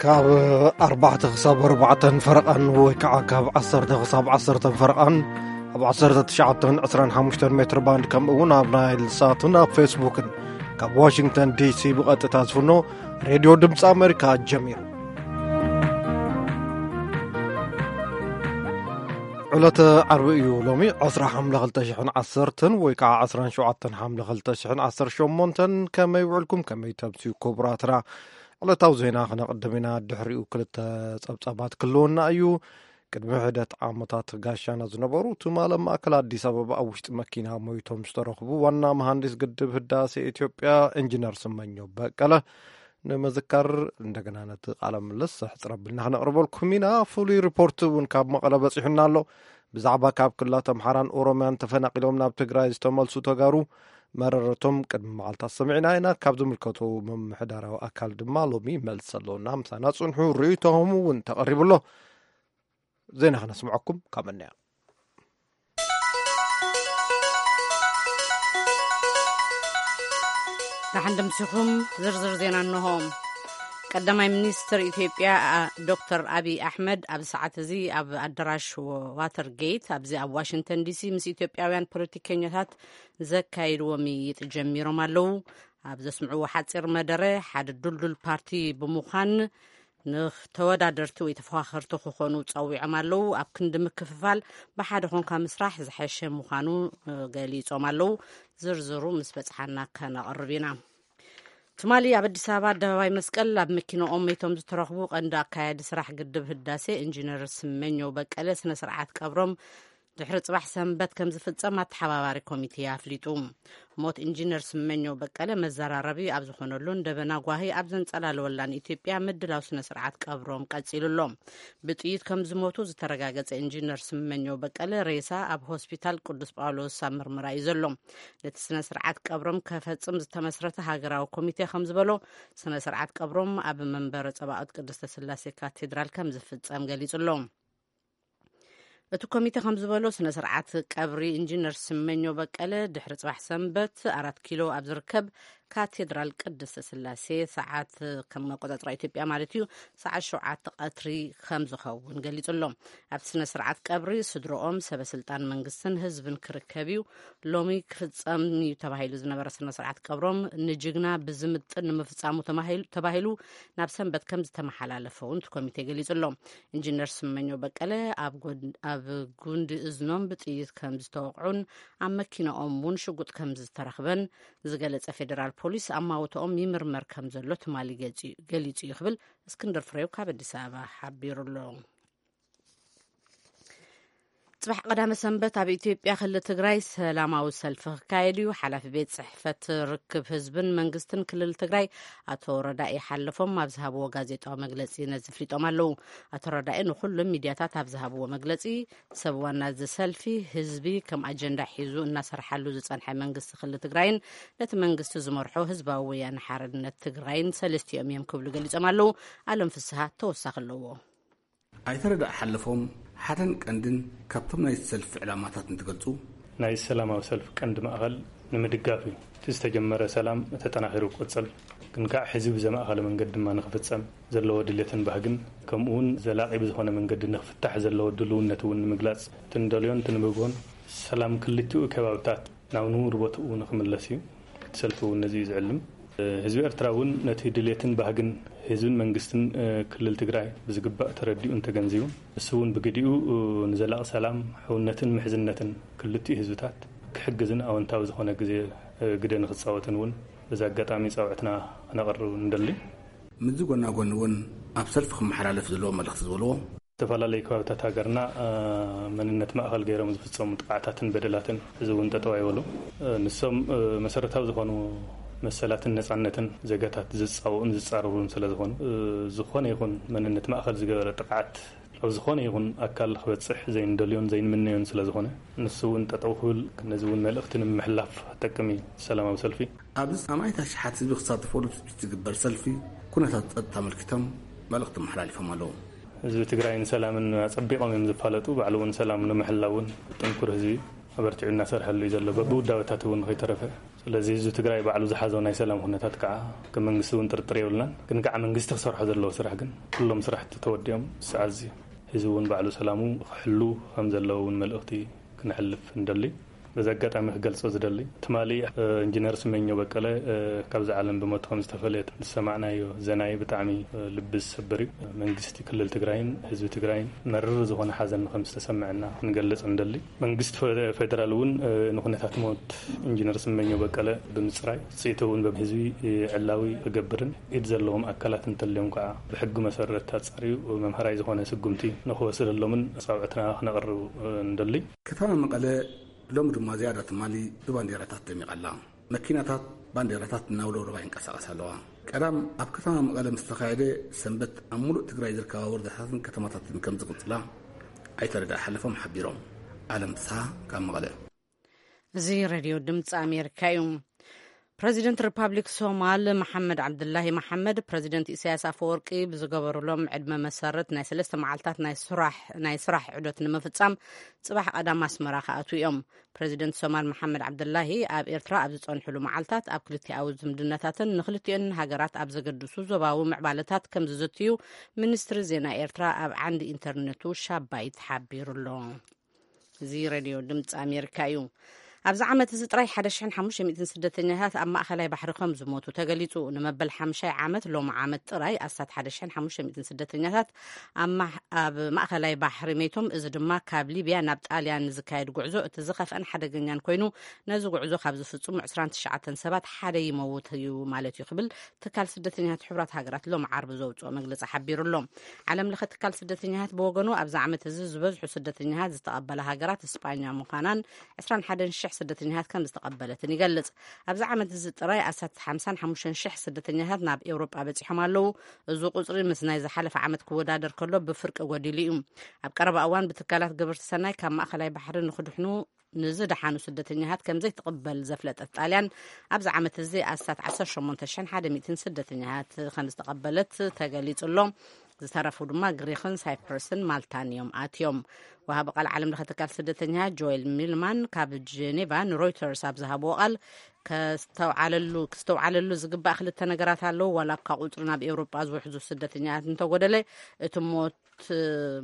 ካብ ኣርባዕተ ክሳብ ኣርባዕተን ፈረቓን ወይ ከዓ ካብ ዓሰርተ ክሳብ ዓሰርተን ፈረቓን ኣብ ዓሰርተ ትሽዓተን ዕስራን ሓሙሽተን ሜትር ባንድ፣ ከምኡ እውን ኣብ ናይል ሳትን ኣብ ፌስቡክን ካብ ዋሽንግተን ዲሲ ብቐጥታ ዝፍኖ ሬድዮ ድምፂ ኣሜሪካ ጀሚሩ። ዕለተ ዓርቢ እዩ ሎሚ ዕስራ ሓምለ ክልተ ሽሕን ዓሰርተን ወይ ከዓ ዕስራን ሸውዓተን ሓምለ ክልተ ሽሕን ዓሰርተ ሸሞንተን። ከመይ ውዕልኩም? ከመይ ተምስዩ ክቡራትና? ዕለታዊ ዜና ክነቕድም ኢና። ድሕሪኡ ክልተ ጸብጻባት ክህልወና እዩ። ቅድሚ ሕደት ዓመታት ጋሻና ዝነበሩ ትማል ኣብ ማእከል ኣዲስ ኣበባ ኣብ ውሽጢ መኪና ሞይቶም ዝተረኽቡ ዋና መሃንዲስ ግድብ ህዳሴ ኢትዮጵያ ኢንጂነር ስመኘው በቀለ ንምዝካር እንደገና ነቲ ቃለ ምልልስ ሕጽር ኣቢልና ክነቕርበልኩም ኢና። ፍሉይ ሪፖርት እውን ካብ መቐለ በጺሑና ኣሎ። ብዛዕባ ካብ ክልላት ኣምሓራን ኦሮምያን ተፈናቒሎም ናብ ትግራይ ዝተመልሱ ተጋሩ መረረቶም ቅድሚ መዓልታት ሰሚዕና ኢና። ካብ ዝምልከቶ ምምሕዳራዊ ኣካል ድማ ሎሚ መልሲ ኣለውና። ምሳና ጽንሑ፣ ርእይቶኹም እውን ተቐሪቡ ኣሎ። ዜና ክነስምዐኩም ካብ እንያ። ደሓን ደምሲኹም። ዝርዝር ዜና እንሆ። ቀዳማይ ሚኒስትር ኢትዮጵያ፣ አ፣ ዶክተር ኣቢይ ኣሕመድ ኣብዚ ሰዓት እዚ ኣብ ኣዳራሽ ወ-፣ ዋተርጌት ኣብዚ ኣብ ዋሽንግተን ዲሲ ምስ ኢትዮጵያውያን ፖለቲከኛታት ዘካየድዎ ምይይጥ ጀሚሮም ኣለዉ። ኣብ ዘስምዕዎ ሓጺር መደረ፣ ሓደ ዱልዱል ፓርቲ ብምዃን ንተወዳደርቲ ወይ ተፎኻኸርቲ ክኾኑ ጸዊዖም ኣለዉ። ኣብ ክንዲ ምክፍፋል ብሓደ ኮንካ ምስራሕ ዝሐሸ ምዃኑ፣ እ፣ ገሊጾም ኣለዉ። ዝርዝሩ ምስ በጽሓና ከነቕርብ ኢና። ትማሊ ኣብ ኣዲስ ኣበባ ኣደባባይ መስቀል ኣብ መኪናኦም መይቶም ዝተረኽቡ ቀንዲ ኣካያዲ ስራሕ ግድብ ህዳሴ ኢንጂነር ስመኘው በቀለ ስነ ስርዓት ቀብሮም ድሕሪ ጽባሕ ሰንበት ከም ዝፍጸም ኣተሓባባሪ ኮሚቴ ኣፍሊጡ። ሞት ኢንጂነር ስመኘው በቀለ መዘራረቢ ኣብ ዝኾነሉን ደበና ጓሂ ኣብ ዘንጸላለወላን ኢትዮጵያ ምድላው ስነ ስርዓት ቀብሮም ቀጺሉ ኣሎ። ብጥይት ከም ዝሞቱ ዝተረጋገጸ ኢንጂነር ስመኘው በቀለ ሬሳ ኣብ ሆስፒታል ቅዱስ ጳውሎስ ኣብ ምርመራ እዩ ዘሎ። ነቲ ስነ ስርዓት ቀብሮም ከፈጽም ዝተመስረተ ሃገራዊ ኮሚቴ ከም ዝበሎ፣ ስነ ስርዓት ቀብሮም ኣብ መንበረ ጸባኦት ቅድስተ ስላሴ ካቴድራል ከም ዝፍጸም ገሊጹ ኣሎ። እቲ ኮሚቴ ከም ዝበሎ፣ ስነ ስርዓት ቀብሪ ኢንጂነር ስመኘው በቀለ ድሕሪ ጽባሕ ሰንበት ኣራት ኪሎ ኣብ ዝርከብ ካቴድራል ቅድስተ ስላሴ ሰዓት፣ ከም ኣቆጻጽራ ኢትዮጵያ ማለት እዩ፣ ሰዓት ሸውዓተ ቀትሪ ከም ዝኸውን ገሊጹ ኣሎ። ኣብቲ ስነ ስርዓት ቀብሪ ስድሮኦም፣ ሰበ ስልጣን መንግስትን ህዝብን ክርከብ እዩ። ሎሚ ክፍጸም እዩ ተባሂሉ ዝነበረ ስነ ስርዓት ቀብሮም ንጅግና ብዝምጥን ንምፍጻሙ ተማሂሉ-፣ ተባሂሉ ናብ ሰንበት ከም ዝተመሓላለፈ እውን እቲ ኮሚቴ ገሊጹ ኣሎ። ኢንጂነር ስመኘው በቀለ ኣብ ጎን-፣ ኣብ ጉንዲ እዝኖም ብጥይት ከም ዝተወቕዑን ኣብ መኪናኦም እውን ሽጉጥ ከም ዝተረኽበን ዝገለጸ ፌደራል ፖሊስ፣ ኣማውትኦም ይምርመር ከም ዘሎ ትማሊ ገጺ-፣ ገሊጹ እዩ ክብል እስክንድር ፍሬው ካብ ኣዲስ ኣበባ ሓቢሩ ኣሎ። ጽባሕ ቀዳመ ሰንበት ኣብ ኢትዮጵያ ክልል ትግራይ ሰላማዊ ሰልፊ ክካየድ እዩ። ሓላፊ ቤት ጽሕፈት ርክብ ህዝብን መንግስትን ክልል ትግራይ ኣቶ ረዳኢ ሓለፎም ኣብ ዝሃብዎ ጋዜጣዊ መግለጺ ነዚ ኣፍሊጦም ኣለዉ። ኣቶ ረዳኢ ንኹሉም ሚድያታት ኣብ ዝሃብዎ መግለጺ፣ ሰብ ዋና እዚ ሰልፊ ህዝቢ ከም ኣጀንዳ ሒዙ እናሰርሓሉ ዝጸንሐ መንግስቲ ክልል ትግራይን ነቲ መንግስቲ ዝመርሖ ህዝባዊ ወያነ ሓርነት ትግራይን ሰለስቲኦም እዮም ክብሉ ገሊጾም ኣለዉ። ኣለም ፍስሃ ተወሳኺ ኣለዎ። ኣይተ ረዳኢ ሓለፎም፣ ሓደን ቀንድን ካብቶም ናይ ሰልፊ ዕላማታት እንትገልጹ፣ ናይ ሰላማዊ ሰልፊ ቀንዲ ማእኸል ንምድጋፍ እዩ። እቲ ዝተጀመረ ሰላም ተጠናኺሩ ክቕጽል፣ ግን ከዓ ሕዚ ብዘማእኸለ መንገዲ ድማ ንኽፍጸም ዘለዎ ድሌትን ባህግን፣ ከምኡ እውን ዘላቒ ብዝኾነ መንገዲ ንኽፍታሕ ዘለዎ ድልውነት እውን ንምግላጽ፣ እቲ ንደልዮን እቲ ንብህጎን ሰላም ክልቲኡ ከባብታት ናብ ንቡር ቦትኡ ንኽምለስ እዩ። እቲ ሰልፊ እውን ነዚ እዩ ዝዕልም። ህዝቢ ኤርትራ እውን ነቲ ድሌትን ባህግን ህዝብን መንግስትን፣ እ፣ ክልል ትግራይ ብዝግባእ ተረዲኡን ተገንዚቡን፣ ንሱ እውን ብግዲኡ፣ እ፣ ንዘላቒ ሰላም፣ ሕውነትን ምሕዝነትን ክልቲኡ ህዝብታት ክሕግዝን ኣወንታዊ ዝኾነ ግዜ፣ እ፣ ግደ ንኽጻወትን እውን በዚ ኣጋጣሚ ጻውዕትና ክነቕርብ ንደሊ። ምስዚ ጎና ጎኒ እውን ኣብ ሰልፊ ክመሓላለፍ ዘለዎ መልእኽቲ ዝበልዎ፣ ዝተፈላለዩ ከባብታት ሃገርና፣ እ፣ መንነት ማእኸል ገይሮም ዝፍጸሙ ጥቕዓታትን በደላትን እዚ እውን ጠጠው ኣይበሉ። እ፣ ንሶም፣ እ፣ መሰረታዊ ዝኾኑ መሰላትን ነጻነትን ዜጋታት ዝጻወኡን ዝጻረሩን ስለ ዝኾኑ፣ እ፣ ዝኾነ ይኹን መንነት ማእኸል ዝገበረ ጥቕዓት ኣብ ዝኾነ ይኹን ኣካል ክበፅሕ ዘይንደልዮን ዘይንምነዮን ስለ ዝኾነ፣ ንሱ እውን ጠጠው ክብል፣ ነዚ እውን መልእኽቲ ንምሕላፍ ጠቅም እዩ ሰላማዊ ሰልፊ። ኣብዚ ኣማኢት ኣሽሓት ህዝቢ ክሳተፈሉ ትፅቢት ዝግበር ሰልፊ፣ ኩነታት ፀጥታ ኣመልኪቶም መልእኽቲ ኣመሓላሊፎም ኣለዉ። ህዝቢ ትግራይን ሰላምን ኣፀቢቖም እዮም ዝፋለጡ። ባዕሉ እውን ሰላም ንምሕላው እውን ጥንኩር ህዝቢ ኣበርቲዑ እናሰርሐሉ እዩ ዘሎ፣ በብውዳበታት እውን ከይተረፈ። ስለዚ ህዝቢ ትግራይ ባዕሉ ዝሓዞ ናይ ሰላም ኩነታት ከዓ ከም መንግስቲ እውን ጥርጥር የብልናን። ግን ከዓ መንግስቲ ክሰርሖ ዘለዎ ስራሕ ግን፣ ኩሎም ስራሕቲ ተወዲኦም ዝሰዓዝ እዩ። ህዝቢ እውን ባዕሉ ሰላሙ ክሕሉ ከም ዘለዎ እውን መልእኽቲ ክነሕልፍ ንደሊ። በዚ ኣጋጣሚ ክገልጾ ዝደሊ፣ ትማሊ ኢንጂነር ስመኘው በቀለ ካብዚ ዓለም ብሞት ከም ዝተፈለየ ዝሰማዕናዮ ዜናይ ብጣዕሚ ልቢ ዝሰብር እዩ። መንግስቲ ክልል ትግራይን ህዝቢ ትግራይን መርር ዝኾነ ሓዘን ከም ዝተሰምዐና ክንገልጽ ንደሊ። መንግስቲ ፌደራል እውን ንኩነታት ሞት ኢንጂነር ስመኘው በቀለ ብምፅራይ፣ ውፅኢቱ እውን በህዝቢ ዕላዊ ክገብርን፣ ኢድ ዘለዎም ኣካላት እንተልዮም ከዓ ብሕጊ መሰረት ኣፃርዩ መምሃራይ ዝኾነ ስጉምቲ ንክወስደሎምን ፃውዕትና ክነቕርብ ንደሊ። ከተማ መቐለ ሎሚ ድማ ዝያዳ ትማሊ ብባንዴራታት ደሚቓ ኣላ። መኪናታት ባንዴራታት እናውለብለባ ይንቀሳቐሳ ኣለዋ። ቀዳም ኣብ ከተማ መቐለ ምስ ተኻየደ፣ ሰንበት ኣብ ሙሉእ ትግራይ ዝርከባ ወረዳታትን ከተማታትን ከም ዝቕፅላ ኣይተ ረዳኢ ሓለፎም ሓቢሮም። ኣለም ፍስሃ ካብ መቐለ። እዚ ሬድዮ ድምፂ ኣሜሪካ እዩ። ፕረዚደንት ሪፓብሊክ ሶማል መሓመድ ዓብድላሂ መሓመድ፣ ፕረዚደንት ኢሳያስ ኣፈወርቂ ብዝገበሩሎም ዕድመ መሰረት ናይ ሰለስተ መዓልታት ናይ ስራሕ፣ ናይ ስራሕ ዑደት ንምፍጻም ጽባሕ ቀዳም ኣስመራ ክኣትዉ እዮም። ፕረዚደንት ሶማል መሓመድ ዓብድላሂ ኣብ ኤርትራ ኣብ ዝጸንሕሉ መዓልታት፣ ኣብ ክልቲኣዊ ዝምድናታትን ንክልቲኦን ሃገራት ኣብ ዘገድሱ ዞባዊ ምዕባለታት ከም ዝዝትዩ ሚኒስትሪ ዜና ኤርትራ ኣብ ዓንዲ ኢንተርነቱ ሻባይት ሓቢሩ ኣሎ። እዚ ሬድዮ ድምፂ ኣሜሪካ እዩ። ኣብዚ ዓመት እዚ ጥራይ ሓደ ሽሕን ሓሙሽተ ሚእትን ስደተኛታት ኣብ ማእኸላይ ባሕሪ ከም ዝሞቱ ተገሊጹ። ንመበል ሓምሻይ ዓመት ሎሚ ዓመት ጥራይ ኣስታት ሓደ ሽሕን ሓሙሽተ ሚእትን ስደተኛታት ኣብ ማሕ-፣ ኣብ ማእኸላይ ባሕሪ ሜቶም። እዚ ድማ ካብ ሊብያ ናብ ጣልያን ዝካየድ ጉዕዞ እቲ ዝኸፍአን ሓደገኛን ኮይኑ፣ ነዚ ጉዕዞ ካብ ዝፍጽሙ ዕስራን ትሽዓተን ሰባት ሓደ ይመውት እዩ ማለት እዩ ክብል ትካል ስደተኛታት ሕቡራት ሃገራት ሎሚ ዓርቢ ዘውፅኦ መግለፂ ሓቢሩ ኣሎ። ዓለም ለኸ ትካል ስደተኛታት ብወገኑ፣ ኣብዚ ዓመት እዚ ዝበዝሑ ስደተኛታት ዝተቐበላ ሃገራት ስጳኛ ምዃናን ዕስራን ሓደን ሽሕ ስደተኛታት ከም ዝተቐበለትን ይገልጽ። ኣብዚ ዓመት እዚ ጥራይ ኣስታት ሓምሳን ሓሙሽተን ሽሕ ስደተኛታት ናብ ኤውሮጳ በጺሖም ኣለዉ። እዚ ቁጽሪ ምስ ናይ ዝሓለፈ ዓመት ክወዳደር ከሎ ብፍርቂ ጎዲሉ እዩ። ኣብ ቀረባ እዋን ብትካላት ግብርቲ ሰናይ ካብ ማእከላይ ባሕሪ ንኽድሕኑ ንዝደሓኑ ስደተኛታት ከም ዘይትቕበል ዘፍለጠት ጣልያን፣ ኣብዚ ዓመት እዚ ኣስታት ዓሰርተ ሸሞንተ ሽሕን ሓደ ሚእትን ስደተኛታት ከም ዝተቐበለት ተገሊጹ ኣሎ። ዝተረፉ ድማ ግሪኽን ሳይፕረስን ማልታን እዮም ኣትዮም። ወሃቢ ቃል ዓለም ለኸ ትካል ስደተኛታት ጆኤል ሚልማን ካብ ጀኔቫ ንሮይተርስ ኣብ ዝሃብዎ ቃል፣ ከስተውዓለሉ፣ ክስተውዓለሉ ዝግባእ ክልተ ነገራት ኣለዉ። ዋላ እኳ ቁጽሪ ናብ ኤውሮጳ ዝውሕዙ ስደተኛታት እንተጎደለ፣ እቲ ሞት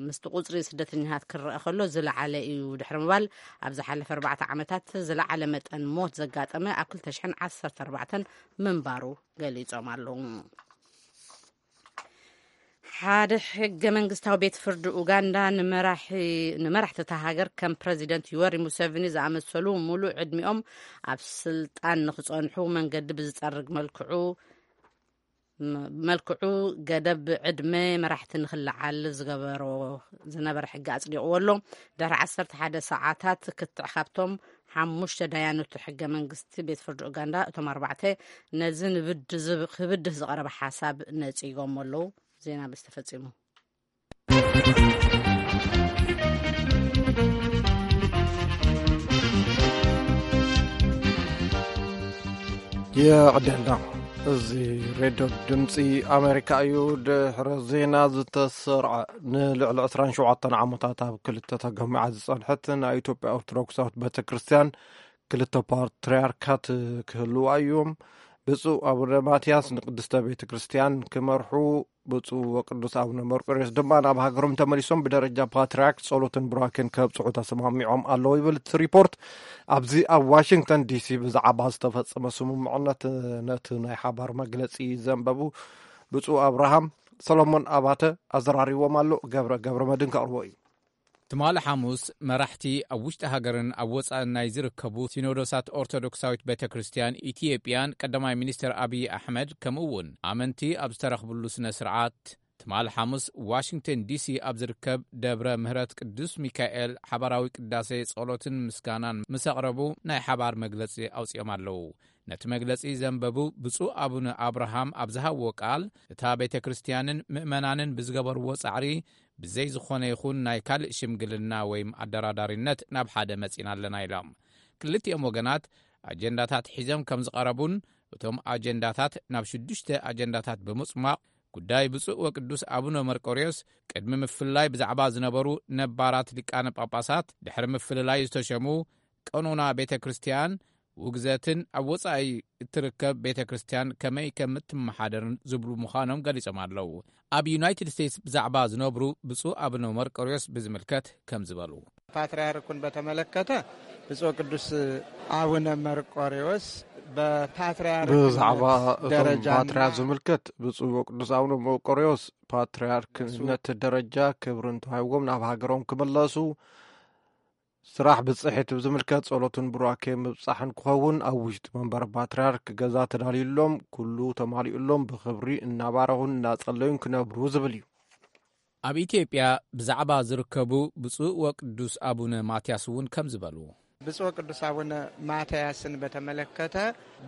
ምስቲ ቁጽሪ ስደተኛታት ክረአ ከሎ ዝለዓለ እዩ ድሕሪ ምባል፣ ኣብ ዝሓለፈ ኣርባዕተ ዓመታት ዝለዓለ መጠን ሞት ዘጋጠመ ኣብ ክልተ ሽሕን ዓሰርተ ኣርባዕተን ምንባሩ ገሊጾም ኣለዉ። ሓደ ሕገ መንግስታዊ ቤት ፍርዲ ኡጋንዳ ንመራሒ-፣ ንመራሕቲ እታ ሃገር ከም ፕረዚደንት ዩወሪ ሙሴቪኒ ዝኣመሰሉ ሙሉእ ዕድሚኦም ኣብ ስልጣን ንኽጸንሑ መንገዲ ብዝጸርግ መልክዑ፣ ም-፣ መልክዑ ገደብ ዕድመ መራሕቲ ንኽለዓል ዝገበሮ ዝነበረ ሕጊ ኣጽዲቕዎ ኣሎ። ድሕሪ ዓሰርተ ሓደ ሰዓታት ክትዕ ካብቶም ሓሙሽተ ዳያኑ እቲ ሕገ መንግስቲ ቤት ፍርዲ ኡጋንዳ፣ እቶም ኣርባዕተ ነዚ ንብድ ዝብ-፣ ክብድህ ዝቐረበ ሓሳብ ነጺጎም ኣለዉ። ዜና ምስ ተፈጺሙ። የዕደልና። እዚ ሬድዮ ድምፂ ኣሜሪካ እዩ። ድሕሪ ዜና ዝተሰርዐ፣ ንልዕሊ ዕስራን ሸውዓተን ዓመታት ኣብ ክልተ ተገሚዓ ዝጸንሐት ናይ ኢትዮጵያ ኦርቶዶክሳዊት ቤተ ክርስቲያን ክልተ ፓትርያርካት ክህልዋ እዮም። ብፁዕ ኣቡነ ማትያስ ንቅድስተ ቤተ ክርስቲያን ክመርሑ፣ ብፁዕ ወቅዱስ ኣቡነ መርቆሬዎስ ድማ ናብ ሃገሮም ተመሊሶም ብደረጃ ፓትርያርክ ጸሎትን ቡራኬን ከብጽሑ ተሰማሚዖም ኣለዉ ይብል እቲ ሪፖርት። ኣብዚ ኣብ ዋሽንግተን ዲሲ ብዛዕባ ዝተፈጸመ ስምምዕነት ነቲ ናይ ሓባር መግለጺ ዘንበቡ ብፁዕ ኣብርሃም ሰሎሞን ኣባተ ኣዘራሪዎም ኣሎ። ገብረ፣ ገብረ መድን ከቕርቦ እዩ። ትማሊ ሓሙስ፣ መራሕቲ ኣብ ውሽጢ ሃገርን ኣብ ወጻእን ናይ ዝርከቡ ሲኖዶሳት ኦርቶዶክሳዊት ቤተ ክርስቲያን ኢትዮጵያን ቀዳማይ ሚኒስትር ኣብይ ኣሕመድ፣ ከምኡ እውን ኣመንቲ ኣብ ዝተረኽብሉ ስነ ስርዓት፣ ትማሊ ሓሙስ ዋሽንግተን ዲሲ ኣብ ዝርከብ ደብረ ምህረት ቅዱስ ሚካኤል ሓባራዊ ቅዳሴ ጸሎትን ምስጋናን ምስ ኣቕረቡ ናይ ሓባር መግለጺ ኣውጺኦም ኣለዉ። ነቲ መግለጺ ዘንበቡ ብፁዕ ኣቡነ ኣብርሃም ኣብ ዝሃብዎ ቃል፣ እታ ቤተ ክርስቲያንን ምእመናንን ብዝገበርዎ ጻዕሪ ብዘይ ዝኾነ ይኹን ናይ ካልእ ሽምግልና ወይም ኣደራዳሪነት ናብ ሓደ መጺና ኣለና ኢሎም። ክልቲኦም ወገናት ኣጀንዳታት ሒዞም ከም ዝቐረቡን እቶም ኣጀንዳታት ናብ ሽዱሽተ ኣጀንዳታት ብምጽማቕ ጉዳይ ብፁዕ ወቅዱስ ኣቡነ መርቆርዮስ ቅድሚ ምፍልላይ ብዛዕባ ዝነበሩ ነባራት ሊቃነ ጳጳሳት ድሕሪ ምፍልላይ ዝተሸሙ ቀኖና ቤተ ክርስቲያን ውግዘትን ኣብ ወጻኢ እትርከብ ቤተ ክርስቲያን ከመይ ከም እትመሓደርን ዝብሉ ምዃኖም ገሊጾም ኣለዉ። ኣብ ዩናይትድ ስቴትስ ብዛዕባ ዝነብሩ ብፁዕ ኣቡነ መርቆርዮስ ብዝምልከት ከም ዝበሉ። ፓትርያርኩን በተመለከተ ብፁዕ ቅዱስ ኣቡነ መርቆርዮስ በፓትርያርክ ብዛዕባ እቶም ደረጃና ፓትርያርክ ዝምልከት ብፁዕ ወቅዱስ ኣቡነ መርቆርዮስ ፓትርያርክነት ደረጃ ክብርን ተዋሂብዎም ናብ ሃገሮም ክምለሱ ስራሕ ብጽሒት ብዝምልከት ጸሎትን ቡራኬ ምብጻሕን ክኸውን ኣብ ውሽጢ መንበረ ፓትርያርክ ገዛ ተዳልዩሎም ኩሉ ተማሊኡሎም ብኽብሪ እናባረኹን እናጸለዩን ክነብሩ ዝብል እዩ። ኣብ ኢትዮጵያ ብዛዕባ ዝርከቡ ብፁዕ ወቅዱስ ኣቡነ ማትያስ እውን ከም ዝበሉ። ብፁዕ ቅዱስ ኣቡነ ማትያስን በተመለከተ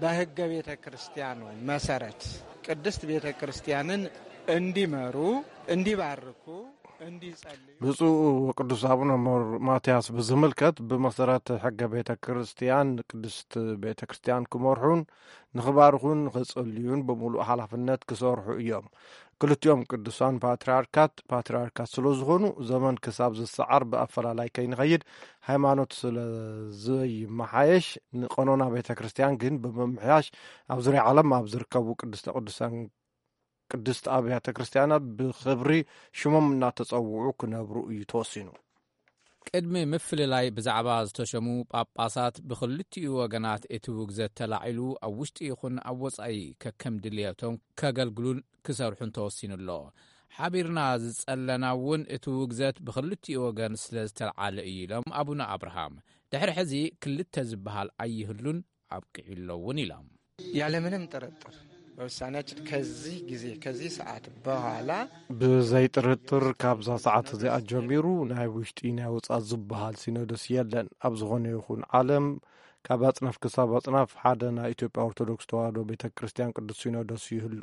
በሕገ ቤተ ክርስቲያኑ መሰረት ቅድስት ቤተ ክርስቲያንን እንዲመሩ፣ እንዲባርኩ፣ እንዲጸልዩ ብፁዕ ወቅዱስ ኣቡነ ሞር-፣ ማትያስ ብዝምልከት ብመሰረት ሕገ ቤተ ክርስቲያን ቅድስት ቤተ ክርስቲያን ክመርሑን ንኽባርኹን ንኽጸልዩን ብምሉእ ሓላፍነት ክሰርሑ እዮም። ክልቲኦም ቅዱሳን ፓትርያርካት፣ ፓትርያርካት ስለ ዝኾኑ፣ ዘመን ክሳብ ዝሰዓር ብኣፈላላይ ከይንኸይድ፣ ሃይማኖት ስለ ዘይመሓየሽ፣ ንቐኖና ቤተ ክርስቲያን ግን ብምምሕያሽ፣ ኣብ ዙርያ ዓለም ኣብ ዝርከቡ ቅድስተ ቅዱሳን፣ ቅድስት ኣብያተ ክርስቲያናት ብኽብሪ ሽሞም እናተጸውዑ ክነብሩ እዩ ተወሲኑ። ቅድሚ ምፍልላይ ብዛዕባ ዝተሸሙ ጳጳሳት ብኽልቲኡ ወገናት እቲ ውግዘት ተላዒሉ ኣብ ውሽጢ ይኹን ኣብ ወጻኢ ከከም ድልየቶም ከገልግሉን ክሰርሑን ተወሲኑ ኣሎ። ሓቢርና ዝጸለና እውን እቲ ውግዘት ብኽልቲኡ ወገን ስለ ዝተልዓለ እዩ ኢሎም ኣቡነ ኣብርሃም። ድሕሪ ሕዚ ክልተ ዝበሃል ኣይህሉን ኣብቂዑ ኣሎ እውን ኢሎም። ያለምንም ጥርጥር በውሳኔያችን ከዚህ ጊዜ ከዚህ ሰዓት በኋላ ብዘይ ጥርጥር ካብዛ ሰዓት እዚኣ ጀሚሩ ናይ ውሽጢ ናይ ወጻእ ዝበሃል ሲኖዶስ የለን። ኣብ ዝኾነ ይኹን ዓለም ካብ ኣጽናፍ ክሳብ ኣጽናፍ ሓደ ናይ ኢትዮጵያ ኦርቶዶክስ ተዋህዶ ቤተ ክርስቲያን ቅዱስ ሲኖዶስ ይህሉ።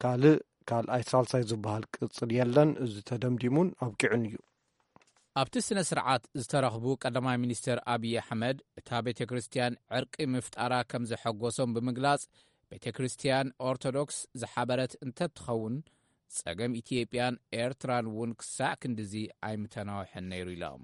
ካልእ ካልኣይ ሳልሳይ ዝበሃል ቅጽል የለን። እዚ ተደምዲሙን ኣብቂዑን እዩ። ኣብቲ ስነ ስርዓት ዝተረኽቡ ቀዳማይ ሚኒስትር ኣብይ ኣሕመድ እታ ቤተ ክርስቲያን ዕርቂ ምፍጣራ ከም ዘሐጎሶም ብምግላጽ፣ ቤተ ክርስቲያን ኦርቶዶክስ ዝሓበረት እንተትኸውን፣ ጸገም ኢትዮጵያን ኤርትራን እውን ክሳዕ ክንድዚ ኣይምተናውሐን ነይሩ ኢሎም።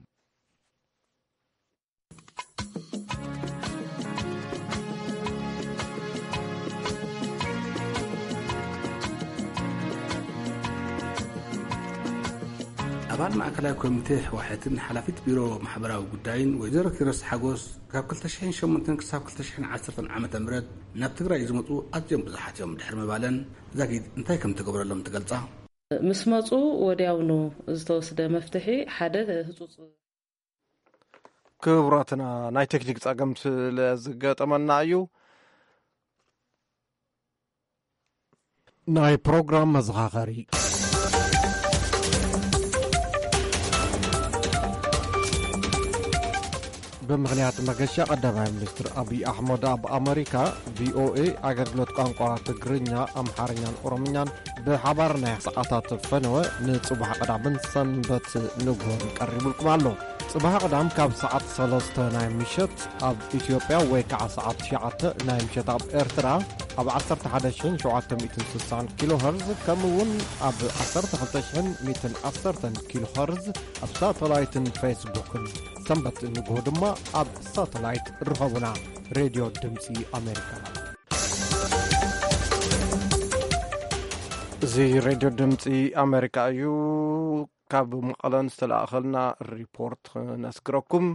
ኣባል ማእከላይ ኮሚቴ ህወሓትን ሓላፊት ቢሮ ማሕበራዊ ጉዳይን ወይዘሮ ኪሮስ ሓጎስ፣ ካብ ክልተ ሽሕን ሸሞንተን ክሳብ ክልተ ሽሕን ዓሰርተን ዓመተ ምህረት ናብ ትግራይ ዝመጹ ኣዝዮም ብዙሓት እዮም ድሕሪ ምባለን፣ ዛጊድ እንታይ ከም ተገብረሎም ትገልጻ። ምስ መጹ ወዲያውኑ ዝተወስደ መፍትሒ ሓደ ህጹጽ። ክቡራትና፣ ናይ ቴክኒክ ጸገም ስለ ዝገጠመና እዩ። ናይ ፕሮግራም መዘኻኸሪ። ብምኽንያት መገሻ ቀዳማይ ሚኒስትር ኣብይ ኣሕመድ ኣብ ኣመሪካ፣ ቪኦኤ ኣገልግሎት ቋንቋ ትግርኛ፣ ኣምሓርኛን ኦሮምኛን ብሓባር ናይ ሰዓታት ፈነወ ንጽባሕ ቀዳምን ሰንበት ንግሆን ቀሪቡልኩም ኣሎ። ጽባሕ ቀዳም ካብ ሰዓት ሰለስተ ናይ ምሸት ኣብ ኢትዮጵያ ወይ ከዓ ሰዓት ትሽዓተ ናይ ምሸት ኣብ ኤርትራ ኣብ ዓሰርተ ሓደ ሽሕን ሸውዓተ ሚእትን ስሳን ኪሎ ኸርዝ፣ ከምኡ እውን ኣብ ዓሰርተ ክልተ ሽሕን ሚእትን ዓሰርተን ኪሎ ኸርዝ ኣብ ሳተላይትን ፌስቡክን ሰንበት ንግሆ ድማ ኣብ ሳተላይት ርኸቡና። ሬድዮ ድምፂ ኣሜሪካ። እዚ ሬድዮ ድምፂ ኣሜሪካ እዩ። ካብ መቐለን ዝተላእኸልና ሪፖርት ክነስግረኩም።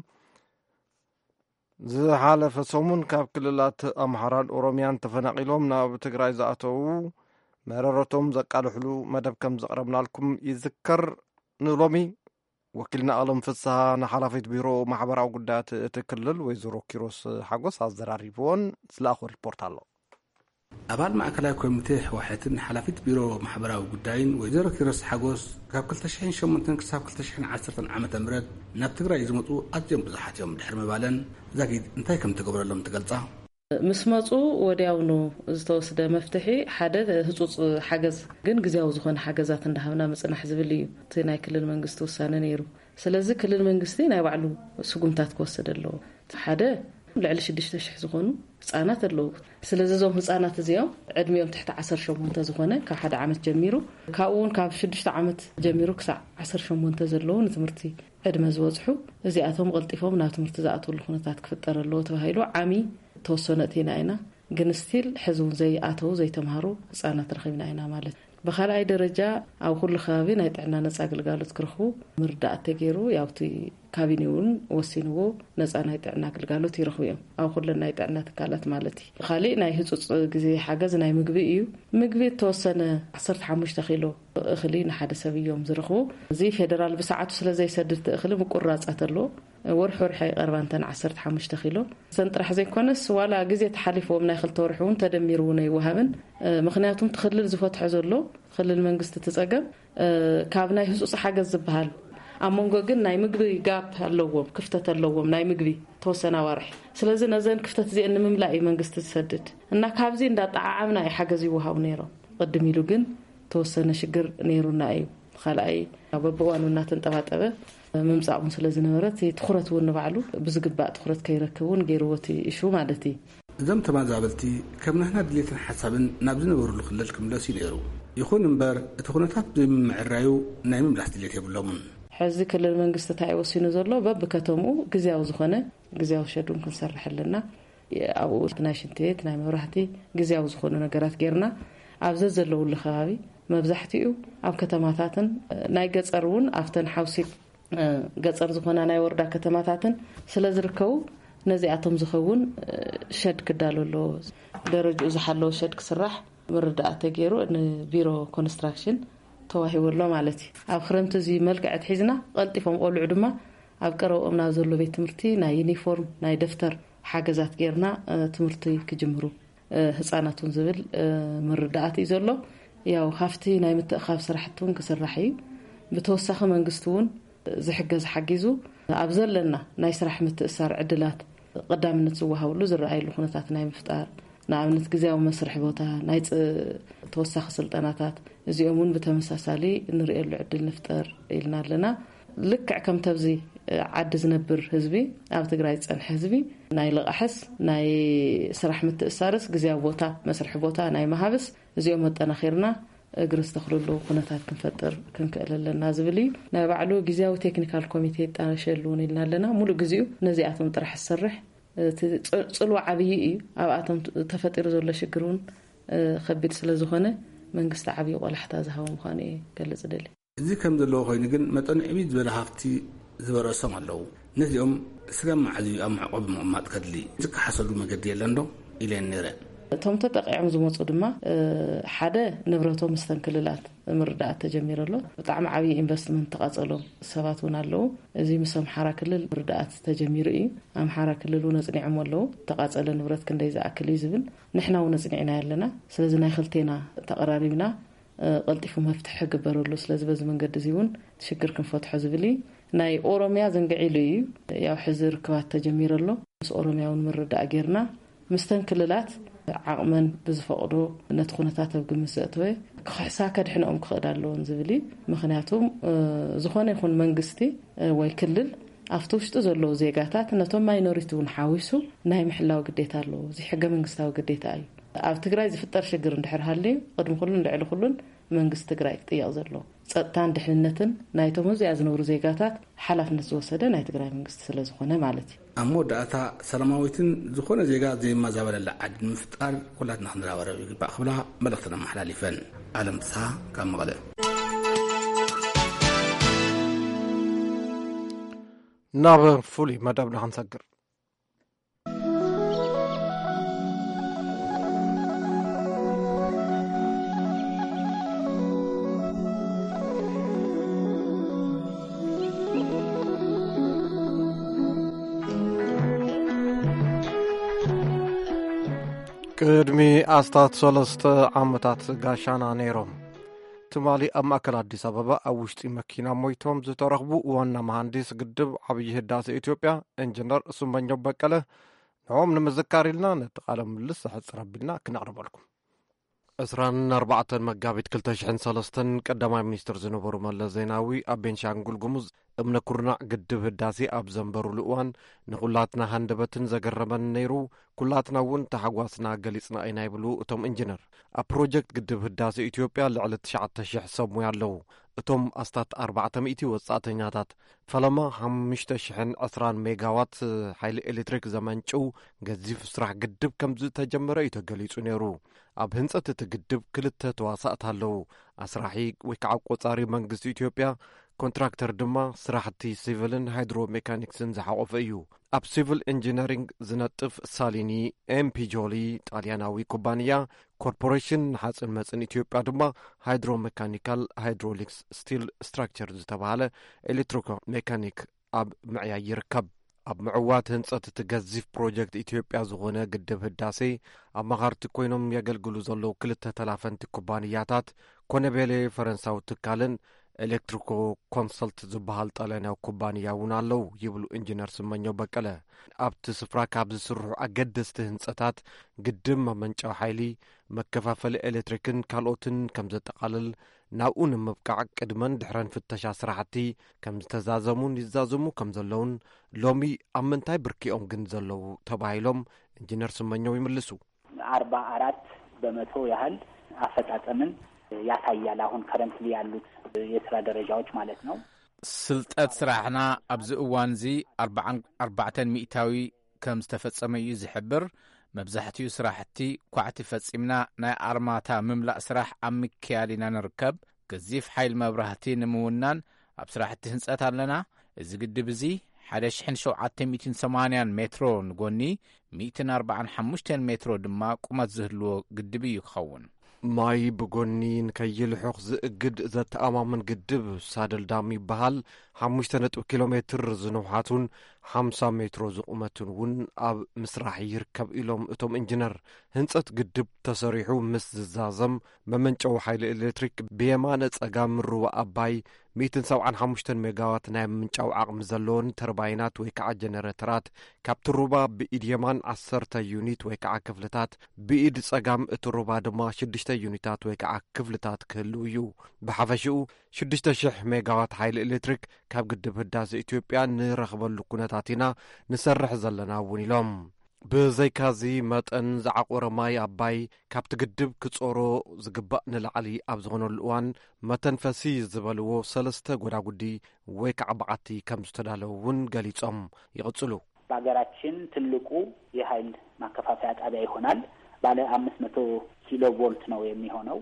ዝሓለፈ ሰሙን ካብ ክልላት ኣምሓራን ኦሮምያን ተፈናቒሎም ናብ ትግራይ ዝኣተዉ መረረቶም ዘቃልሕሉ መደብ ከም ዘቕረብናልኩም ይዝከር። ንሎሚ ወኪልና ኣለም ፍስሃ ንሓላፊት ቢሮ ማሕበራዊ ጉዳያት እቲ ክልል ወይዘሮ ኪሮስ ሓጎስ ኣዘራሪብዎን ዝለኣኾ ሪፖርት ኣሎ። ኣባል ማእከላይ ኮሚቴ ህወሓትን ሓላፊት ቢሮ ማሕበራዊ ጉዳይን ወይዘሮ ኪሮስ ሓጎስ፣ ካብ ክልተ ሽሕን ሸሞንተን ክሳብ ክልተ ሽሕን ዓሰርተን ዓመተ ምህረት ናብ ትግራይ ዝመፁ ኣዝዮም ብዙሓት እዮም ድሕሪ ምባለን፣ ዛጊድ እንታይ ከም ተገብረሎም ትገልጻ። ምስ መፁ ወዲያውኑ ዝተወስደ መፍትሒ ሓደ ህፁፅ ሓገዝ፣ ግን ግዜያዊ ዝኾነ ሓገዛት እንዳሃብና ምፅናሕ ዝብል እዩ እቲ ናይ ክልል መንግስቲ ውሳነ ነይሩ። ስለዚ ክልል መንግስቲ ናይ ባዕሉ ስጉምታት ክወስድ ኣለዎ። ሓደ፣ ልዕሊ ሽዱሽተ ሽሕ ዝኾኑ ህፃናት ኣለዉ። ስለዚ እዞም ህፃናት እዚኦም ዕድሚኦም ትሕቲ ዓሰርተ ሸሞንተ ዝኾነ፣ ካብ ሓደ ዓመት ጀሚሩ፣ ካብኡ እውን ካብ ሽዱሽተ ዓመት ጀሚሩ ክሳዕ ዓሰርተ ሸሞንተ ዘለዉ ንትምህርቲ ዕድመ ዝበፅሑ፣ እዚኣቶም ቀልጢፎም ናብ ትምህርቲ ዝኣትውሉ ኩነታት ክፍጠር ኣለዎ ተባሂሉ ዓሚ ተወሰነ እቲና ኢና። ግን ስቲል ሕዚ እውን ዘይኣተው ዘይተምሃሩ ህፃናት ረኺብና ኢና ማለት እዩ። ብኻልኣይ ደረጃ ኣብ ኩሉ ከባቢ ናይ ጥዕና ነፃ ግልጋሎት ክረኽቡ ምርዳእ ተገይሩ፣ ያው እቲ ካቢኔ እውን ወሲንዎ ነፃ ናይ ጥዕና ግልጋሎት ይረኽቡ እዮም ኣብ ኩለን ናይ ጥዕና ትካላት ማለት እዩ። ካሊእ ናይ ህፁፅ ግዜ ሓገዝ ናይ ምግቢ እዩ። ምግቢ እተወሰነ ዓሰርተ ሓሙሽተ ኪሎ እኽሊ ንሓደ ሰብ እዮም ዝረኽቡ። እዚ ፌደራል ብሰዓቱ ስለ ዘይሰድድ እቲ እኽሊ ምቁራፃት ኣለዎ። ወርሒ ወርሒ ኣይቐርባን እተን ዓሰርተ ሓሙሽተ ኪሎ። እተን ጥራሕ ዘይኮነስ ዋላ ግዜ ተሓሊፍዎም ናይ ክልተ ወርሒ እውን ተደሚሩ እውን ኣይወሃብን። ምኽንያቱም እቲ ክልል ዝፈትሖ ዘሎ ክልል መንግስቲ እቲ ፀገም ካብ ናይ ህፁፅ ሓገዝ ዝበሃል ኣብ መንጎ ግን ናይ ምግቢ ጋፕ ኣለዎም፣ ክፍተት ኣለዎም ናይ ምግቢ ተወሰነ ኣዋርሒ። ስለዚ ነዘን ክፍተት እዚአን ንምምላእ እዩ መንግስቲ ዝሰድድ እና ካብዚ እንዳጠዓዓምና እዩ ሓገዝ ይወሃቡ ነይሮም። ቅድም ኢሉ ግን ተወሰነ ሽግር ነይሩና እዩ። ካልኣይ በብእዋኑ እናተንጠባጠበ ምምፃእ እውን ስለ ዝነበረ እቲ ትኹረት እውን ንባዕሉ ብዝግባእ ትኹረት ከይረክብ እውን ገይርዎ እቲ እሹ ማለት እዩ። እዞም ተመዛበልቲ ከም ናህና ድሌትን ሓሳብን ናብ ዝነበሩሉ ክልል ክምለሱ እዩ ነይሩ። ይኹን እምበር እቲ ኩነታት ብዘይምምዕራዩ ናይ ምምላስ ድሌት የብሎምን። ሕዚ ክልል መንግስቲ እንታይ ወሲኑ ዘሎ በብከተምኡ ግዜያዊ ዝኾነ ግዜያዊ ሸዱን ክንሰርሕ ኣለና። ኣብኡ ናይ ሽንቲ ቤት ናይ መብራህቲ ግዜያዊ ዝኾኑ ነገራት ጌርና ኣብ ዘዘለውሉ ከባቢ መብዛሕትኡ ኣብ ከተማታትን ናይ ገፀር እውን ኣብተን ሓውሲ ገፀር ዝኾና ናይ ወረዳ ከተማታትን ስለ ዝርከቡ ነዚኣቶም ዝኸውን ሸድ ክዳሎ ኣለዎ። ደረጃኡ ዝሓለወ ሸድ ክስራሕ ምርዳእ ተገይሩ ንቢሮ ኮንስትራክሽን ተዋሂቡ ኣሎ ማለት እዩ። ኣብ ክረምቲ እዚ መልክዕ ኣትሒዝና ቀልጢፎም ቆልዑ ድማ ኣብ ቀረብኦም ናብ ዘሎ ቤት ትምህርቲ ናይ ዩኒፎርም ናይ ደፍተር ሓገዛት ጌርና ትምህርቲ ክጅምሩ ህፃናት እውን ዝብል ምርዳኣት እዩ ዘሎ። ያው ሃፍቲ ናይ ምትእኻብ ስራሕቲ እውን ክስራሕ እዩ። ብተወሳኺ መንግስቲ እውን ዝሕገዝ ሓጊዙ ኣብ ዘለና ናይ ስራሕ ምትእሳር ዕድላት ቀዳምነት ዝወሃብሉ ዝረኣየሉ ኩነታት ናይ ምፍጣር፣ ንኣብነት ግዜያዊ መስርሒ ቦታ ናይ ተወሳኺ ስልጠናታት እዚኦም እውን ብተመሳሳሊ እንርእየሉ ዕድል ንፍጠር ኢልና ኣለና። ልክዕ ከምተብዚ ዓዲ ዝነብር ህዝቢ፣ ኣብ ትግራይ ዝፀንሐ ህዝቢ ናይ ልቓሕስ ናይ ስራሕ ምትእሳርስ ግዜያዊ ቦታ መስርሒ ቦታ ናይ መሃብስ እዚኦም ኣጠናኺርና እግሪ ዝተኽልሉ ኩነታት ክንፈጥር ክንክእል ኣለና ዝብል እዩ። ናይ ባዕሉ ግዜያዊ ቴክኒካል ኮሚቴ ይጣሸሉ እውን ኢልና ኣለና። ሙሉእ ግዜኡ ነዚኣቶም ጥራሕ ዝሰርሕ እቲ ፅልዋ ዓብዪ እዩ። ኣብኣቶም ተፈጢሩ ዘሎ ሽግር እውን ከቢድ ስለ ዝኾነ መንግስቲ ዓብዪ ቆላሕታ ዝሃቦ ምዃኑ እየ ገልፅ ደሊ። እዚ ከም ዘለዎ ኮይኑ ግን መጠኑ ዕብይ ዝበለ ሃፍቲ ዝበረሶም ኣለዉ። ነዚኦም ስጋብ መዓዝ እዩ ኣብ መዕቆቢ ምቕማጥ ከድሊ? ዝከሓሰሉ መገዲ የለን ዶ ኢለን ነይረ። እቶም ተጠቂዖም ዝመፁ ድማ ሓደ ንብረቶም ምስተን ክልላት ምርዳእት ተጀሚሩ ኣሎ። ብጣዕሚ ዓብዪ ኢንቨስትመንት ተቓፀሎም ሰባት እውን ኣለዉ። እዚ ምስ ኣምሓራ ክልል ምርዳእት ተጀሚሩ እዩ። ኣምሓራ ክልል እውን ኣፅኒዖም ኣለዉ። ተቓፀለ ንብረት ክንደይ ዝኣክል እዩ ዝብል ንሕና እውን ኣፅኒዕና ኣለና። ስለዚ ናይ ክልቴና ተቐራሪብና ቀልጢፉ መፍትሒ ክግበረሉ። ስለዚ በዚ መንገዲ እዚ እውን ሽግር ክንፈትሖ ዝብል እዩ። ናይ ኦሮሚያ ዘንግዒሉ እዩ። ያው ሕዚ ርክባት ተጀሚሩ ኣሎ። ምስ ኦሮሚያ እውን ምርዳእ ጌርና ምስተን ክልላት ዓቕመን ብዝፈቕዶ ነቲ ኩነታት ኣብ ግምት ዘእተወ ክኽሕሳ ከድሕንኦም ክኽእል ኣለዎን ዝብል እዩ። ምኽንያቱም ዝኾነ ይኹን መንግስቲ ወይ ክልል ኣብቲ ውሽጢ ዘለዉ ዜጋታት ነቶም ማይኖሪቲ እውን ሓዊሱ ናይ ምሕላው ግዴታ ኣለዎ። እዚ ሕገ መንግስታዊ ግዴታ እዩ። ኣብ ትግራይ ዝፍጠር ሽግር እንድሕር ሃልዩ ቅድሚ ኩሉን ልዕሊ ኩሉን መንግስቲ ትግራይ ክጥየቕ ዘለዎ ፀጥታን ድሕንነትን ናይቶም ኣብዚኣ ዝነብሩ ዜጋታት ሓላፍነት ዝወሰደ ናይ ትግራይ መንግስቲ ስለ ዝኾነ ማለት እዩ። ኣብ መወዳእታ ሰላማዊትን ዝኾነ ዜጋ ዘይመዛበለላ ዓዲ ንምፍጣር ኩላትና ክንረባረብ ይግባእ ክብላ መልእኽተን ኣመሓላሊፈን። ኣለም ፍስሓ ካብ መቐለ። ናብ ፍሉይ መደብና ክንሰግር። ቅድሚ ኣስታት ሰለስተ ዓመታት ጋሻና ነይሮም። ትማሊ ኣብ ማእከል ኣዲስ ኣበባ ኣብ ውሽጢ መኪና ሞይቶም ዝተረኽቡ ዋና መሃንዲስ ግድብ ዓብዪ ህዳሴ ኢትዮጵያ ኢንጂነር ስመኘው በቀለ፣ ንዕኦም ንምዝካር ኢልና ነቲ ቃለ ምልልስ ኣሕጽር ኣቢልና ክነቕርበልኩም። ዕስራን ኣርባዕተን መጋቢት ክልተ ሽሕን ሰለስተን ቀዳማይ ሚኒስትር ዝነበሩ መለስ ዜናዊ ኣብ ቤንሻንጉል ጉሙዝ እምነ ኩርናዕ ግድብ ህዳሴ ኣብ ዘንበሩሉ እዋን ንኹላትና ሃንደበትን ዘገረመን ነይሩ። ኩላትና እውን ተሓጓስና ገሊጽና ኢና ይብሉ እቶም ኢንጂነር። ኣብ ፕሮጀክት ግድብ ህዳሴ ኢትዮጵያ ልዕሊ ትሽዓተ ሽሕ ሰብ ሙያ ኣለዉ። እቶም ኣስታት ኣርባዕተ ሚእቲ ወጻእተኛታት ፈለማ ሓሙሽተ ሽሕን ዕስራን ሜጋዋት ሓይሊ ኤሌክትሪክ ዘመንጭው ገዚፍ ስራሕ ግድብ ከም ዝተጀመረ እዩ ተገሊጹ ነይሩ። ኣብ ህንጸት እቲ ግድብ ክልተ ተዋሳእቲ ኣለዉ። ኣስራሒ ወይ ከዓ ቆጻሪ መንግስቲ ኢትዮጵያ፣ ኮንትራክተር ድማ ስራሕቲ ሲቪልን ሃይድሮ ሜካኒክስን ዝሓቆፈ እዩ። ኣብ ሲቪል ኢንጂነሪንግ ዝነጥፍ ሳሊኒ ኤምፒጆሊ ጣልያናዊ ኩባንያ፣ ኮርፖሬሽን ንሓፂን መፅን ኢትዮጵያ ድማ ሃይድሮ ሜካኒካል ሃይድሮሊክስ ስቲል ስትራክቸር ዝተባሃለ ኤሌክትሪኮ ሜካኒክ ኣብ ምዕያይ ይርከብ። ኣብ ምዕዋት ህንጸት እቲ ገዚፍ ፕሮጀክት ኢትዮጵያ ዝኾነ ግድብ ህዳሴ ኣማኻርቲ ኮይኖም የገልግሉ ዘለዉ ክልተ ተላፈንቲ ኩባንያታት ኮነቤሌ ፈረንሳዊ ትካልን ኤሌክትሪኮ ኮንሰልት ዝበሃል ጣልያናዊ ኩባንያ እውን ኣለዉ ይብሉ ኢንጂነር ስመኘው በቀለ። ኣብቲ ስፍራ ካብ ዝስርሑ ኣገደስቲ ህንጸታት ግድብ መመንጨዊ ሓይሊ፣ መከፋፈሊ ኤሌክትሪክን ካልኦትን ከም ዘጠቓልል፣ ናብኡ ንምብቃዕ ቅድመን ድሕረን ፍተሻ ስራሕቲ ከም ዝተዛዘሙን ይዛዘሙ ከም ዘለውን፣ ሎሚ ኣብ ምንታይ ብርኪኦም ግን ዘለዉ ተባሂሎም ኢንጂነር ስመኘው ይምልሱ። ኣርባ ኣራት በመቶ ያህል አፈጻጸምን ያሳያል። አሁን ከረንትሊ ያሉት የስራ ደረጃዎች ማለት ነው። ስልጠት ስራሕና ኣብዚ እዋን እዚ ኣርባዓን ኣርባዕተን ሚእታዊ ከም ዝተፈጸመ እዩ ዝሕብር። መብዛሕትኡ ስራሕቲ ኳዕቲ ፈጺምና ናይ ኣርማታ ምምላእ ስራሕ ኣብ ምክያድ ኢና ንርከብ። ገዚፍ ሓይል መብራህቲ ንምውናን ኣብ ስራሕቲ ህንጸት ኣለና። እዚ ግድብ እዚ ሓደ ሽሕን ሸውዓተ ሚእትን ሰማንያን ሜትሮ ንጎኒ፣ ሚእትን ኣርባዓን ሓሙሽተን ሜትሮ ድማ ቁመት ዝህልዎ ግድብ እዩ ክኸውን። ማይ ብጎኒ ንከይልሑኽ ዝእግድ ዘተኣማምን ግድብ ሳደል ዳም ይበሃል። ሓሙሽተ ነጥቢ ኪሎ ሜትር ዝንውሓቱን ሓምሳ ሜትሮ ዝቑመቱን እውን ኣብ ምስራሕ ይርከብ ኢሎም እቶም ኢንጂነር። ህንጸት ግድብ ተሰሪሑ ምስ ዝዛዘም መመንጨዊ ሓይሊ ኤሌክትሪክ ብየማነ ጸጋም ሩባ ኣባይ ሚእትን ሰብዓን ሓሙሽተን ሜጋዋት ናይ ምምንጫው ዓቕሚ ዘለዎን ተርባይናት ወይ ከዓ ጀነሬተራት ካብቲ ሩባ ብኢድ የማን ዓሰርተ ዩኒት ወይ ከዓ ክፍልታት፣ ብኢድ ጸጋም እቲ ሩባ ድማ ሽዱሽተ ዩኒታት ወይ ከዓ ክፍልታት ክህልው እዩ። ብሓፈሽኡ ሽዱሽተ ሽሕ ሜጋዋት ሓይሊ ኤሌክትሪክ ካብ ግድብ ህዳሴ ኢትዮጵያ ንረኽበሉ ኩነታት ኢና ንሰርሕ ዘለና እውን ኢሎም። ብዘይካዚ መጠን ዝዓቆረ ማይ ኣባይ ካብቲ ግድብ ክጾሮ ዝግባእ ንላዕሊ ኣብ ዝኾነሉ እዋን መተንፈሲ ዝበልዎ ሰለስተ ጎዳጉዲ ወይ ከዓ በዓቲ ከም ዝተዳለዉ እውን ገሊጾም ይቕጽሉ። በሀገራችን ትልቁ የኃይል ማከፋፈያ ጣቢያ ይሆናል። ባለ አምስት መቶ ኪሎ ቮልት ነው የሚሆነው።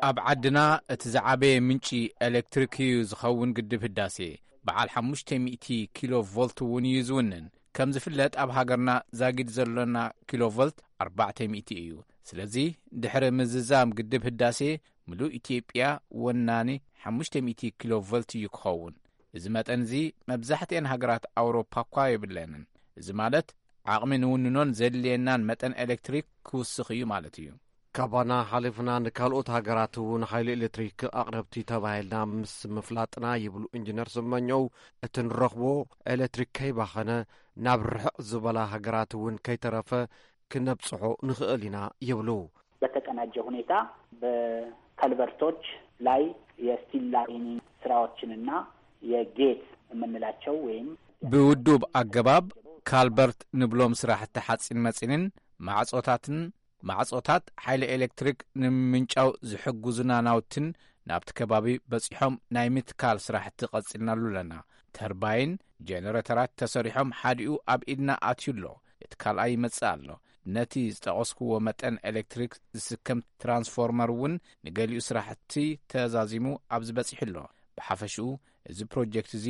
ኣብ ዓድና እቲ ዝዓበየ ምንጪ ኤሌክትሪክ እዩ ዝኸውን ግድብ ህዳሴ። በዓል ሓሙሽተ ሚእቲ ኪሎ ቮልት እውን እዩ ዝውንን። ከም ዝፍለጥ ኣብ ሃገርና ዛጊድ ዘሎና ኪሎ ቮልት ኣርባዕተ ሚእቲ እዩ። ስለዚ ድሕሪ ምዝዛም ግድብ ህዳሴ ምሉእ ኢትዮጵያ ወናኒ ሓሙሽተ ሚእቲ ኪሎ ቮልት እዩ ክኸውን። እዚ መጠን እዚ መብዛሕትኤን ሃገራት ኣውሮፓ እኳ የብለንን። እዚ ማለት ዓቕሚ ንውንኖን ዘድልየናን መጠን ኤሌክትሪክ ክውስኽ እዩ ማለት እዩ። ካባና ሓሊፍና ንካልኦት ሃገራት እውን ሓይሊ ኤሌክትሪክ ኣቕረብቲ ተባሂልና ምስ ምፍላጥና ይብሉ ኢንጂነር ስመኘው፣ እቲ ንረኽቦ ኤሌክትሪክ ከይባኸነ ናብ ርሕቕ ዝበላ ሃገራት እውን ከይተረፈ ክነብጽሖ ንኽእል ኢና ይብሉ። በተቀናጀ ሁኔታ በከልቨርቶች ላይ የስቲል ላይኒንግ ስራዎችንና የጌት የምንላቸው ወይም ብውዱብ ኣገባብ ካልበርት ንብሎም ስራሕቲ ሓፂን መፂንን ማዕፆታትን ማዕፆታት ሓይሊ ኤሌክትሪክ ንምምንጫው ዝሕግዙና ናውትን ናብቲ ከባቢ በፂሖም ናይ ምትካል ስራሕቲ ቀፂልናሉ ኣለና። ተርባይን ጀነሬተራት ተሰሪሖም ሓዲኡ ኣብ ኢድና ኣትዩ ኣሎ። እቲ ካልኣይ ይመጽእ ኣሎ። ነቲ ዝጠቐስክዎ መጠን ኤሌክትሪክ ዝስከም ትራንስፎርመር እውን ንገሊኡ ስራሕቲ ተዛዚሙ ኣብዚ በጺሑ ኣሎ። ብሓፈሽኡ እዚ ፕሮጀክት እዚ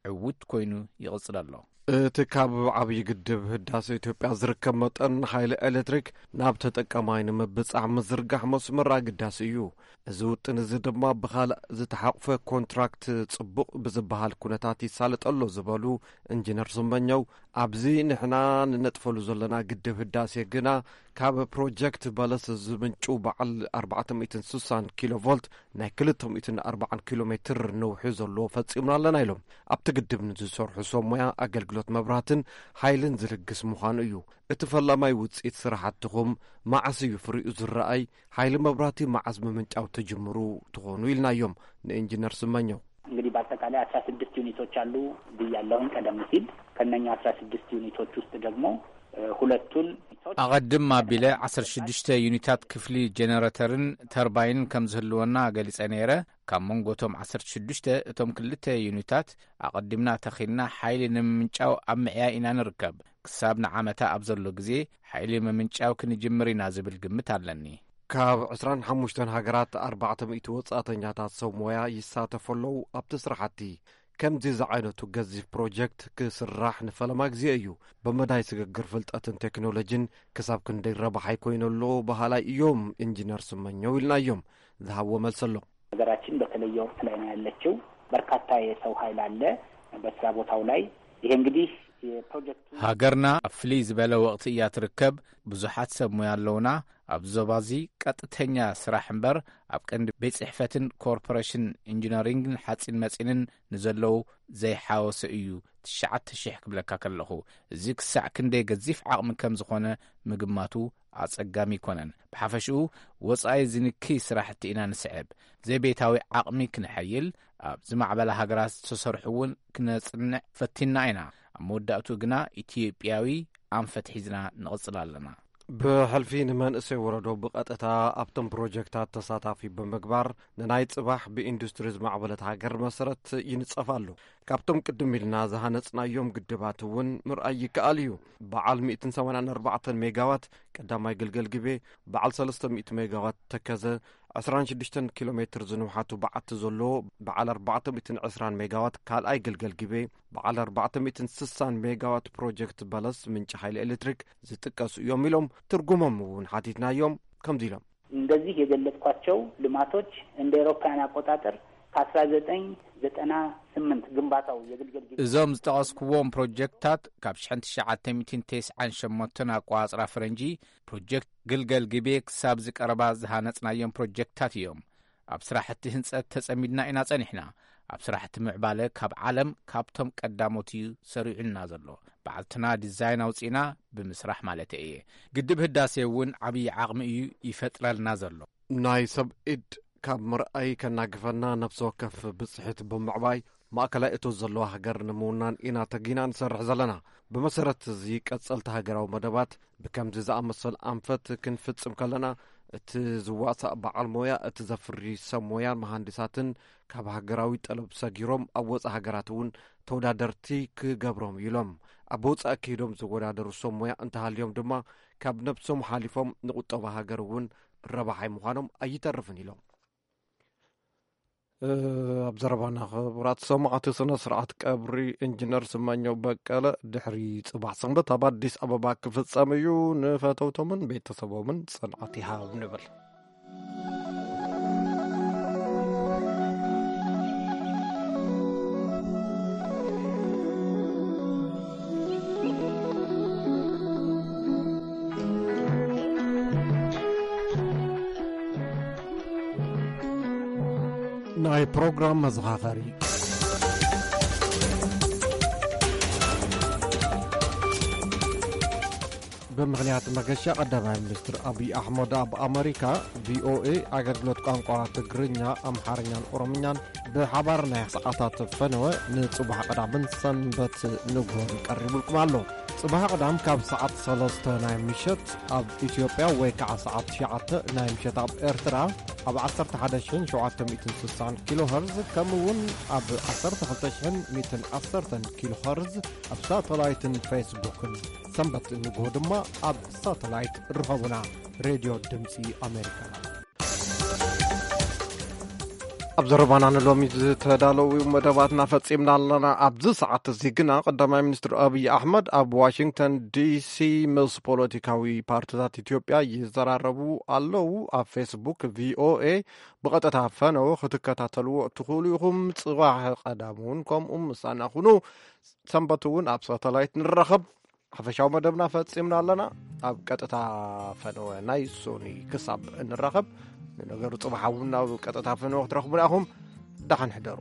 ዕዉት ኮይኑ ይቕጽል ኣሎ። እቲ ካብ ዓብዪ ግድብ ህዳሴ ኢትዮጵያ ዝርከብ መጠን ሓይሊ ኤሌክትሪክ ናብ ተጠቃማይ ንምብጻሕ ምዝርጋሕ መስመር ኣገዳሲ እዩ። እዚ ውጥን እዚ ድማ ብኻልእ ዝተሓቑፈ ኮንትራክት ጽቡቕ ብዝበሃል ኩነታት ይሳለጥ ኣሎ ዝበሉ ኢንጂነር ስመኘው፣ ኣብዚ ንሕና ንነጥፈሉ ዘለና ግድብ ህዳሴ ግና ካብ ፕሮጀክት በለስ ዝምንጩ በዓል ኣርባዕተ ሚእትን ስሳን ኪሎ ቮልት ናይ ክልተ ሚእትን ኣርባዓን ኪሎ ሜትር ነውሒ ዘለዎ ፈጺምና ኣለና ኢሎም። ኣብቲ ግድብ ንዝሰርሑ ሰብ ሞያ ኣገልግሎት መብራህትን ሓይልን ዝልግስ ምዃኑ እዩ። እቲ ፈላማይ ውጽኢት ስራሕትኹም መዓስ እዩ ፍሪኡ ዝረኣይ? ሓይሊ መብራህቲ መዓስ ምምንጫው ትጅምሩ ትኾኑ ኢልናዮም ንኢንጂነር ስመኘው። እንግዲህ በአጠቃላይ አስራ ስድስት ዩኒቶች አሉ ብያለሁኝ ቀደም ሲል። ከነኛ አስራ ስድስት ዩኒቶች ውስጥ ደግሞ እ፣ ሁለቱን ዩኒቶች ኣቐድም ኣቢለ ዓሰርተ ሽዱሽተ ዩኒታት ክፍሊ ጀነረተርን ተርባይንን ከም ዝህልወና ገሊጸ ነይረ። ካብ መንጎ እቶም ዓሰርተ ሽዱሽተ እቶም ክልተ ዩኒታት ኣቐዲምና ተኺልና ሓይሊ ንምምንጫው ኣብ ምዕያይ ኢና ንርከብ። ክሳብ ንዓመታ ኣብ ዘሎ ግዜ ሓይሊ ምምንጫው ክንጅምር ኢና ዝብል ግምት ኣለኒ። ካብ ዕስራን ሓሙሽተን ሃገራት ኣርባዕተ ሚእቲ ወጻእተኛታት ሰብ ሞያ ይሳተፉ ኣለዉ ኣብቲ ስራሕቲ። ከምዚ ዝዓይነቱ ገዚፍ ፕሮጀክት ክስራሕ ንፈለማ ግዜ እዩ። ብመዳይ ስግግር ፍልጠትን ቴክኖሎጂን ክሳብ ክንደይ ረባሓይ ኮይኑ ኣሎ በሃላይ እዮም ኢንጂነር ስመኘው ኢልናዮም። ዝሃብዎ መልሲ ኣሎ። ሀገራችን በተለየ ወቅት ላይ ነው ያለችው። በርካታ የሰው ኃይል አለ በስራ ቦታው ላይ። ይሄ እንግዲህ የፕሮጀክቱ ሃገርና ኣብ ፍልይ ዝበለ ወቕቲ እያ ትርከብ። ብዙሓት ሰብ ሞያ ኣለውና። ኣብ ዞባዚ ቀጥተኛ ስራሕ እምበር ኣብ ቀንዲ ቤት ጽሕፈትን ኮርፖሬሽን ኢንጂነሪንግን ሓጺን መጺንን ንዘለዉ ዘይሓወሰ እዩ። ትሽዓተ ሽሕ ክብለካ ከለኹ፣ እዚ ክሳዕ ክንደይ ገዚፍ ዓቕሚ ከም ዝኾነ ምግማቱ ኣጸጋሚ ኣይኮነን። ብሓፈሽኡ ወጻኢ ዝንክይ ስራሕቲ ኢና ንስዕብ። ዘይቤታዊ ዓቕሚ ክነሐይል፣ ኣብ ዝማዕበላ ሃገራት ዝተሰርሑ እውን ክነጽንዕ ፈቲና ኢና። ኣብ መወዳእትኡ ግና ኢትዮጵያዊ ኣንፈት ሒዝና ንቕጽል ኣለና። ብሕልፊ ንመንእሰይ ወረዶ ብቐጥታ ኣብቶም ፕሮጀክታት ተሳታፊ ብምግባር ንናይ ጽባሕ ብኢንዱስትሪ ዝማዕበለት ሃገር መሰረት ይንጸፍ ኣሎ። ካብቶም ቅድም ኢልና ዝሃነጽናዮም ግድባት እውን ምርኣይ ይከኣል እዩ። በዓል ሚእትን ሰማንያን ኣርባዕተን ሜጋዋት ቀዳማይ ግልገል ግቤ፣ በዓል ሰለስተ ሚእቲ ሜጋዋት ተከዘ፣ ዕስራን ሽዱሽተን ኪሎ ሜትር ዝንውሓቱ በዓቲ ዘለዎ በዓል ኣርባዕተ ሚእትን ዕስራን ሜጋዋት ካልኣይ ግልገል ግቤ፣ በዓል ኣርባዕተ ሚእትን ስሳን ሜጋዋት ፕሮጀክት በለስ ምንጪ ሓይሊ ኤሌክትሪክ ዝጥቀሱ እዮም ኢሎም። ትርጉሞም እውን ሓቲትናዮም። ከምዚ ኢሎም። እንደዚህ የገለጽኳቸው ልማቶች እንደ ኤሮፓውያን አቆጣጠር ከአስራ ዘጠኝ ዘጠና ስምንት ግንባታው የግልገል ግቤ እዞም ዝጠቐስኩዎም ፕሮጀክትታት ካብ ሽሕን ትሽዓተ ሚእትን ተስዓን ሸሞንተን ኣቋጽራ ፈረንጂ ፕሮጀክት ግልገል ግቤ ክሳብ ዝቀረባ ዝሃነጽናዮም ፕሮጀክትታት እዮም። ኣብ ስራሕቲ ህንጸት ተጸሚድና ኢና ጸኒሕና። ኣብ ስራሕቲ ምዕባለ ካብ ዓለም ካብቶም ቀዳሞት እዩ ሰሪዑልና ዘሎ። ባዕልትና ዲዛይን ኣውጺእና ብምስራሕ ማለት እየ። ግድብ ህዳሴ እውን ዓብዪ ዓቕሚ እዩ ይፈጥረልና ዘሎ። ናይ ሰብ ኢድ ካብ ምርኣይ ከናግፈና ነፍሲ ወከፍ ብጽሒት ብምዕባይ ማእከላይ እቶት ዘለዋ ሃገር ንምውናን ኢና ተጊና ንሰርሕ ዘለና። ብመሰረት እዚ ቀጸልቲ ሃገራዊ መደባት ብከምዚ ዝኣመሰል ኣንፈት ክንፍጽም ከለና እቲ ዝዋሳእ በዓል ሞያ፣ እቲ ዘፍሪ ሰብ ሞያን መሃንዲሳትን ካብ ሃገራዊ ጠለብ ሰጊሮም ኣብ ወጻኢ ሃገራት እውን ተወዳደርቲ ክገብሮም ኢሎም። ኣብ ወጻኢ ከይዶም ዝወዳደሩ ሰብ ሞያ እንተሃልዮም ድማ ካብ ነብሶም ሓሊፎም ንቁጠባ ሃገር እውን ረባሓይ ምዃኖም ኣይተርፍን ኢሎም። ኣብ ዘረባና ክቡራት ሰማዕቲ፣ ስነ ስርዓት ቀብሪ ኢንጂነር ስመኘው በቀለ ድሕሪ ጽባሕ ሰንበት ኣብ ኣዲስ ኣበባ ክፍጸም እዩ። ንፈተውቶምን ቤተሰቦምን ጽንዓት ይሃብ ንብል። ናይ ፕሮግራም መዘኻኸሪ። ብምኽንያት መገሻ ቀዳማይ ሚኒስትር ኣብይ ኣሕመድ ኣብ ኣመሪካ፣ ቪኦኤ ኣገልግሎት ቋንቋ ትግርኛ፣ ኣምሓርኛን ኦሮምኛን ብሓባር ናይ ሰዓታት ፈነወ ንጽባሕ ቀዳምን ሰንበት ንግሆን ቀሪቡልኩም ኣሎ። ጽባሕ ቀዳም ካብ ሰዓት ሰለስተ ናይ ምሸት ኣብ ኢትዮጵያ ወይ ከዓ ሰዓት ትሽዓተ ናይ ምሸት ኣብ ኤርትራ ኣብ ዓሰርተ ሓደ ሽሕን ሸውዓተ ሚእትን ስሳን ኪሎ ኸርዝ፣ ከምኡ እውን ኣብ ዓሰርተ ክልተ ሽሕን ሚእትን ዓሰርተን ኪሎ ኸርዝ ኣብ ሳተላይትን ፌስቡክን። ሰንበት ንግሆ ድማ ኣብ ሳተላይት ርኸቡና። ሬድዮ ድምፂ ኣሜሪካ። ኣብ ዘረባና ንሎሚ ዝተዳለዉ መደባትና ፈጺምና ኣለና። ኣብዚ ሰዓት እዚ ግና ቀዳማይ ሚኒስትር ኣብይ ኣሕመድ ኣብ ዋሽንግተን ዲሲ ምስ ፖለቲካዊ ፓርቲታት ኢትዮጵያ ይዘራረቡ ኣለዉ። ኣብ ፌስቡክ ቪኦኤ ብቐጥታ ፈነው ክትከታተልዎ እትኽእሉ ኢኹም። ጽባሕ ቀዳም እውን ከምኡ ምሳና ኩኑ። ሰንበት እውን ኣብ ሳተላይት ንራኸብ። ሓፈሻዊ መደብና ፈጺምና ኣለና። ኣብ ቀጥታ ፈነወ ናይ ሶኒ ክሳብ እንራኸብ፣ ንነገሩ ጽባሕ እውን ኣብ ቀጥታ ፈነወ ክትረኽቡና ኢኹም። ደሓን ሕደሩ።